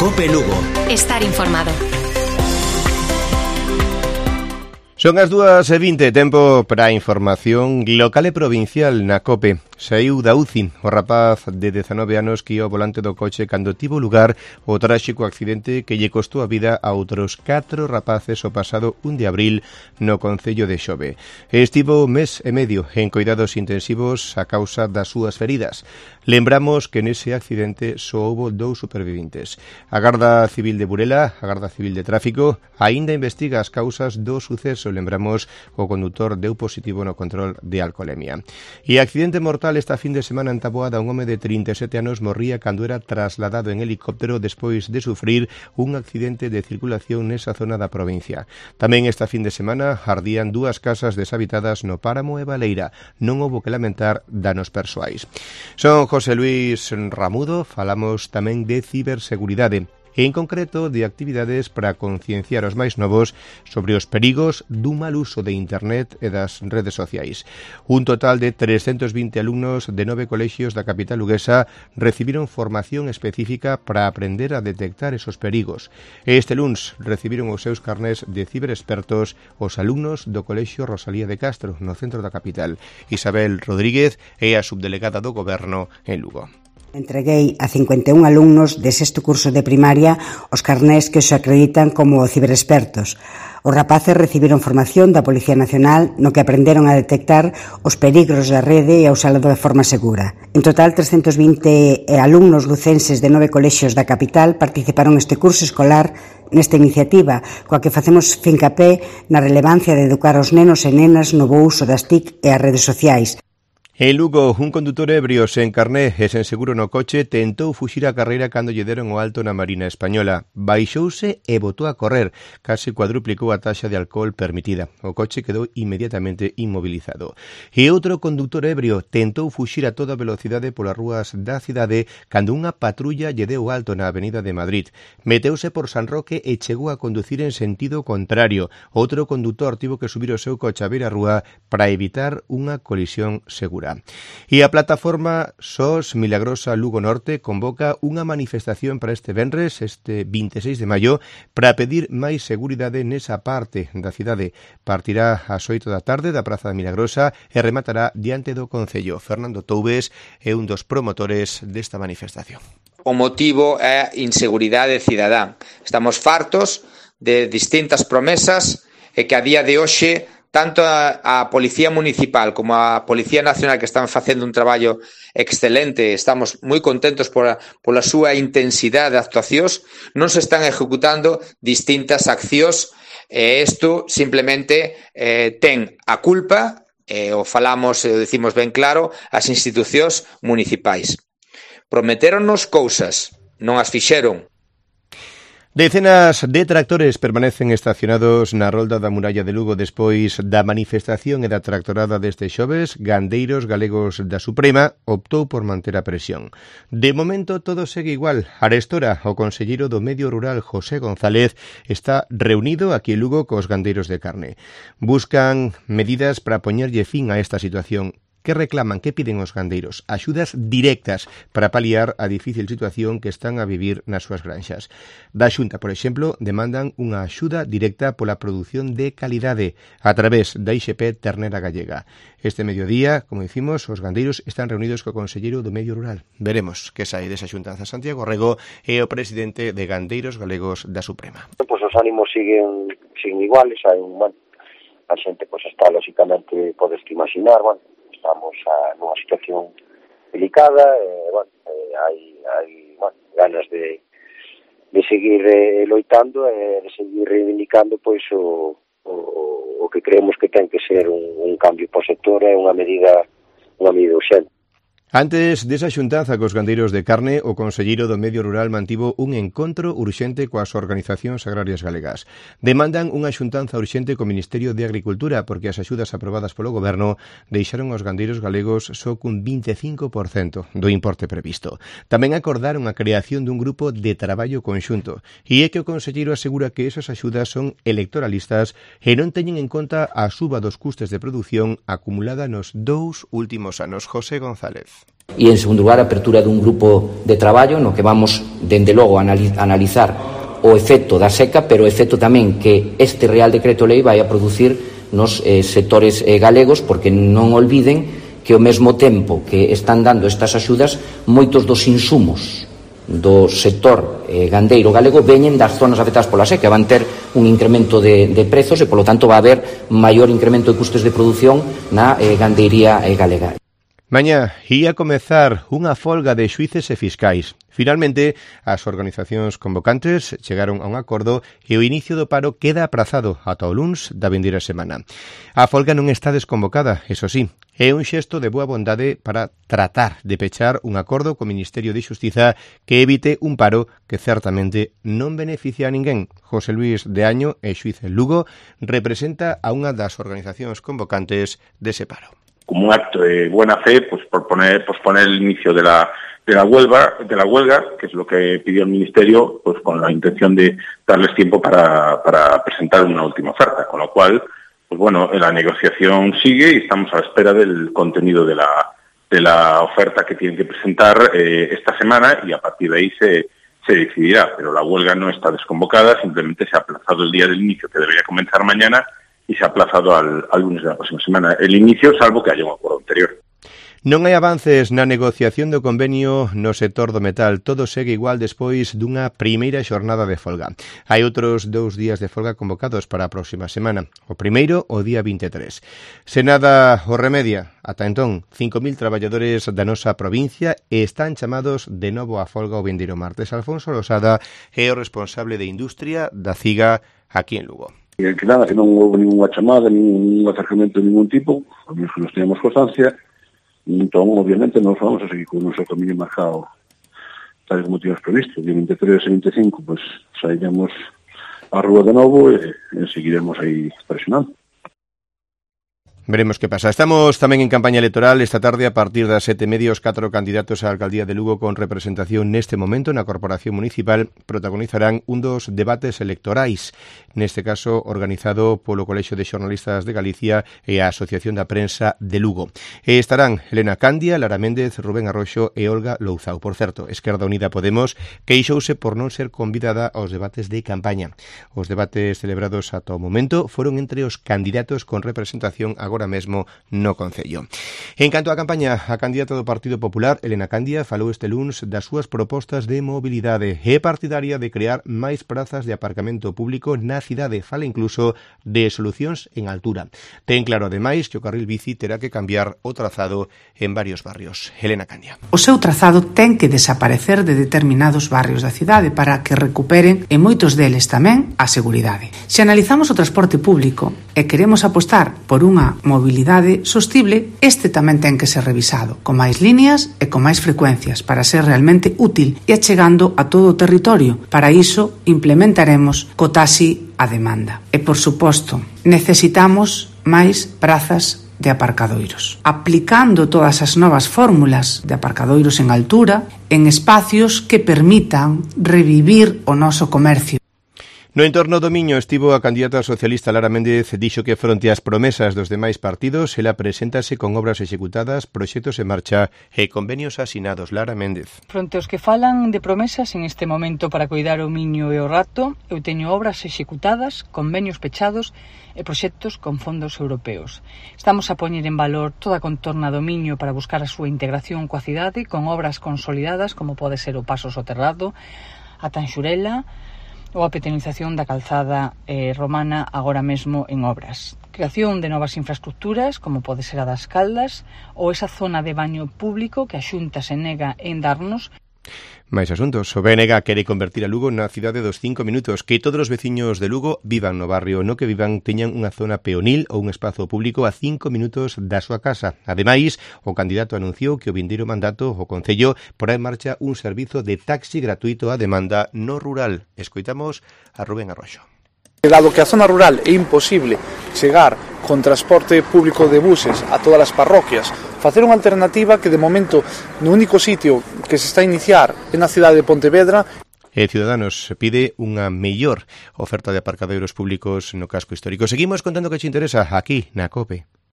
COPE Lugo. Estar informado. Son as 2:20, tempo para a información local e provincial na COPE. Saíu da UCI o rapaz de 19 anos que ia ao volante do coche cando tivo lugar o tráxico accidente que lle costou a vida a outros 4 rapaces o pasado 1 de abril no concello de Xove. Estivo mes e medio en coidados intensivos a causa das súas feridas. Lembramos que nese accidente só houbo 2 superviventes. A Garda Civil de Burela, a Garda Civil de Tráfico, aínda investiga as causas do suceso. Lembramos o condutor deu positivo no control de alcoholemia. E accidente mortal esta fin de semana en Taboada. Un home de 37 anos morría cando era trasladado en helicóptero despois de sufrir un accidente de circulación nesa zona da provincia. Tamén esta fin de semana ardían 2 casas deshabitadas no Páramo e Baleira. Non houbo que lamentar danos persoais. Son José Luis Ramudo, falamos tamén de ciberseguridade. E en concreto de actividades para concienciar os máis novos sobre os perigos dun mal uso de internet e das redes sociais. Un total de 320 alumnos de 9 colexios da capital luguesa recibiron formación específica para aprender a detectar esos perigos. Este luns recibiron os seus carnés de ciberexpertos os alumnos do colexio Rosalía de Castro, no centro da capital. Isabel Rodríguez é a subdelegada do Goberno en Lugo. Entreguei a 51 alumnos de sexto curso de primaria os carnés que os acreditan como ciberexpertos. Os rapaces recibiron formación da Policía Nacional no que aprenderon a detectar os perigros da rede e a usalo de forma segura. En total, 320 alumnos lucenses de 9 colexios da capital participaron neste curso escolar nesta iniciativa, coa que facemos fincapé na relevancia de educar os nenos e nenas no bo uso das TIC e as redes sociais. En Lugo, un condutor ebrio sen carné e sen seguro no coche tentou fuxir a carreira cando lle deron o alto na Marina Española. Baixouse e botou a correr, case cuadruplicou a taxa de alcohol permitida. O coche quedou inmediatamente inmobilizado. E outro condutor ebrio tentou fuxir a toda velocidade polas rúas da cidade cando unha patrulla lle deu alto na Avenida de Madrid. Meteuse por San Roque e chegou a conducir en sentido contrario. Outro condutor tivo que subir o seu coche a beira rúa para evitar unha colisión segura. E a plataforma SOS Milagrosa Lugo Norte convoca unha manifestación para este venres, este 26 de maio, para pedir máis seguridade nesa parte da cidade. Partirá ás 8 da tarde da Praza da Milagrosa e rematará diante do Concello. Fernando Toubes é un dos promotores desta manifestación. O motivo é inseguridade cidadá. Estamos fartos de distintas promesas e que a día de hoxe tanto a Policía Municipal como a Policía Nacional, que están facendo un traballo excelente, estamos moi contentos pola súa intensidade de actuacións, non se están ejecutando distintas accións e isto simplemente ten a culpa, o falamos e o decimos ben claro, as institucións municipais. Prometéronnos cousas, non as fixeron. Decenas de tractores permanecen estacionados na rolda da muralla de Lugo despois da manifestación e da tractorada deste xoves. Gandeiros galegos da Suprema optou por manter a presión. De momento todo segue igual. Arestora, o conselleiro do Medio Rural José González, está reunido aquí en Lugo cos gandeiros de carne. Buscan medidas para poñerlle fin a esta situación. Que reclaman, que piden os gandeiros? Axudas directas para paliar a difícil situación que están a vivir nas súas granxas. Da Xunta, por exemplo, demandan unha axuda directa pola produción de calidade a través da IXP Ternera Gallega. Este mediodía, como dicimos, os gandeiros están reunidos co conselleiro do Medio Rural. Veremos que sae desa xuntanza. Santiago Rego é o presidente de Gandeiros Galegos da Suprema. Pois os ánimos siguen iguales, hai a xente está lógicamente, podes te imaginar, estamos nunha situación delicada, hai ganas de seguir loitando e de seguir reivindicando pois o que creemos que ten que ser un cambio para o sector e unha medida urxente. Antes desa xuntanza cos gandeiros de carne, o conselleiro do Medio Rural mantivo un encontro urxente coas organizacións agrarias galegas. Demandan unha xuntanza urxente co Ministerio de Agricultura porque as axudas aprobadas polo Goberno deixaron aos gandeiros galegos só cun 25% do importe previsto. Tamén acordaron a creación dun grupo de traballo conxunto e é que o conselleiro asegura que esas axudas son electoralistas e non teñen en conta a suba dos custes de produción acumulada nos 2 últimos anos. José González. E, en segundo lugar, a apertura dun grupo de traballo no que vamos, dende logo, a analizar o efecto da seca, pero o efecto tamén que este Real Decreto Lei vai a producir nos sectores galegos, porque non olviden que ao mesmo tempo que están dando estas axudas, moitos dos insumos do sector gandeiro galego veñen das zonas afectadas pola seca, van ter un incremento de prezos e, polo tanto, va a haber maior incremento de custes de produción na gandeiría galega. Mañá ia comezar unha folga de xuíces e fiscais. Finalmente, as organizacións convocantes chegaron a un acordo e o inicio do paro queda aprazado ata o luns da vindeira semana. A folga non está desconvocada, eso sí, é un xesto de boa bondade para tratar de pechar un acordo co Ministerio de Xustiza que evite un paro que certamente non beneficia a ninguén. José Luis de Año, xuíz en Lugo, representa a unha das organizacións convocantes dese paro. Como un acto de buena fe, pues posponer el inicio de la huelga, que es lo que pidió el Ministerio, pues con la intención de darles tiempo para presentar una última oferta, con lo cual, pues bueno, la negociación sigue y estamos a la espera del contenido de la oferta que tienen que presentar esta semana, y a partir de ahí se decidirá, pero la huelga no está desconvocada, simplemente se ha aplazado el día del inicio, que debería comenzar mañana, y se ha aplazado al lunes de la próxima semana. El inicio, salvo que haya un acuerdo anterior. Non hai avances na negociación do convenio no sector do metal. Todo segue igual despois dunha primeira xornada de folga. Hai outros 2 días de folga convocados para a próxima semana. O primeiro, o día 23. Se nada o remedia, ata entón, 5.000 traballadores da nosa provincia están chamados de novo a folga o vindeiro martes. Alfonso Losada é o responsable de industria da CIGA aquí en Lugo. Que nada, que non houve ninguna chamada, ningún acercamento de ningún tipo, a menos que nos teníamos constancia. Entón, obviamente, nos vamos a seguir con o noso camiño marcado tal como tínhamos previsto. O día 23 e 25, pues, sairemos á rúa de novo e seguiremos aí presionando. Veremos que pasa. Estamos tamén en campaña electoral. Esta tarde, a partir das 7:30, os 4 candidatos á alcaldía de Lugo con representación neste momento na Corporación Municipal protagonizarán un dos debates electorais, neste caso organizado polo Colexio de Xornalistas de Galicia e a Asociación da Prensa de Lugo. E estarán Elena Candia, Lara Méndez, Rubén Arroxo e Olga Louzao. Por certo, Esquerda Unida Podemos queixouse por non ser convidada aos debates de campaña. Os debates celebrados ata o momento foron entre os candidatos con representación agora mesmo no Concello. En canto á campaña, a candidata do Partido Popular, Elena Candia, falou este luns das súas propostas de mobilidade. É partidaria de crear máis prazas de aparcamento público na cidade. Fala incluso de solucións en altura. Ten claro, ademais, que o carril bici terá que cambiar o trazado en varios barrios. Elena Candia. O seu trazado ten que desaparecer de determinados barrios da cidade para que recuperen, e moitos deles tamén, a seguridade. Se analizamos o transporte público e queremos apostar por unha mobilidade sostible, este tamén ten que ser revisado, con máis líneas e con máis frecuencias, para ser realmente útil e achegando a todo o territorio. Para iso, implementaremos co taxi a demanda. E, por suposto, necesitamos máis prazas de aparcadoiros, aplicando todas as novas fórmulas de aparcadoiros en altura en espacios que permitan revivir o noso comercio. No entorno do Miño estivo a candidata socialista Lara Méndez. Dixo que fronte ás promesas dos demais partidos, ela preséntase con obras executadas, proxectos en marcha e convenios asinados. Lara Méndez. Fronte aos que falan de promesas en este momento para coidar o Miño e o Rato, eu teño obras executadas, convenios pechados e proxectos con fondos europeos. Estamos a poñer en valor toda a contorna do Miño para buscar a súa integración coa cidade, con obras consolidadas como pode ser o Paso Soterrado, a Tanxurela, ou a petenización da calzada romana agora mesmo en obras. Creación de novas infraestructuras, como pode ser a das Caldas, ou esa zona de baño público que a Xunta se nega en darnos. Mais asuntos. O BNG quere convertir a Lugo na cidade dos 5 minutos, que todos os veciños de Lugo vivan no barrio, no que vivan teñan unha zona peonil ou un espazo público a 5 minutos da súa casa. Ademais, o candidato anunciou que o vindeiro mandato o Concello porá en marcha un servizo de taxi gratuito a demanda no rural. Escoitamos a Rubén Arroxo. Dado que a zona rural é imposible chegar con transporte público de buses a todas as parroquias, facer unha alternativa que de momento no único sitio que se está a iniciar é na cidade de Pontevedra. Ciudadanos pide unha mellor oferta de aparcadoiros públicos no casco histórico. Seguimos contando que te interesa aquí na COPE.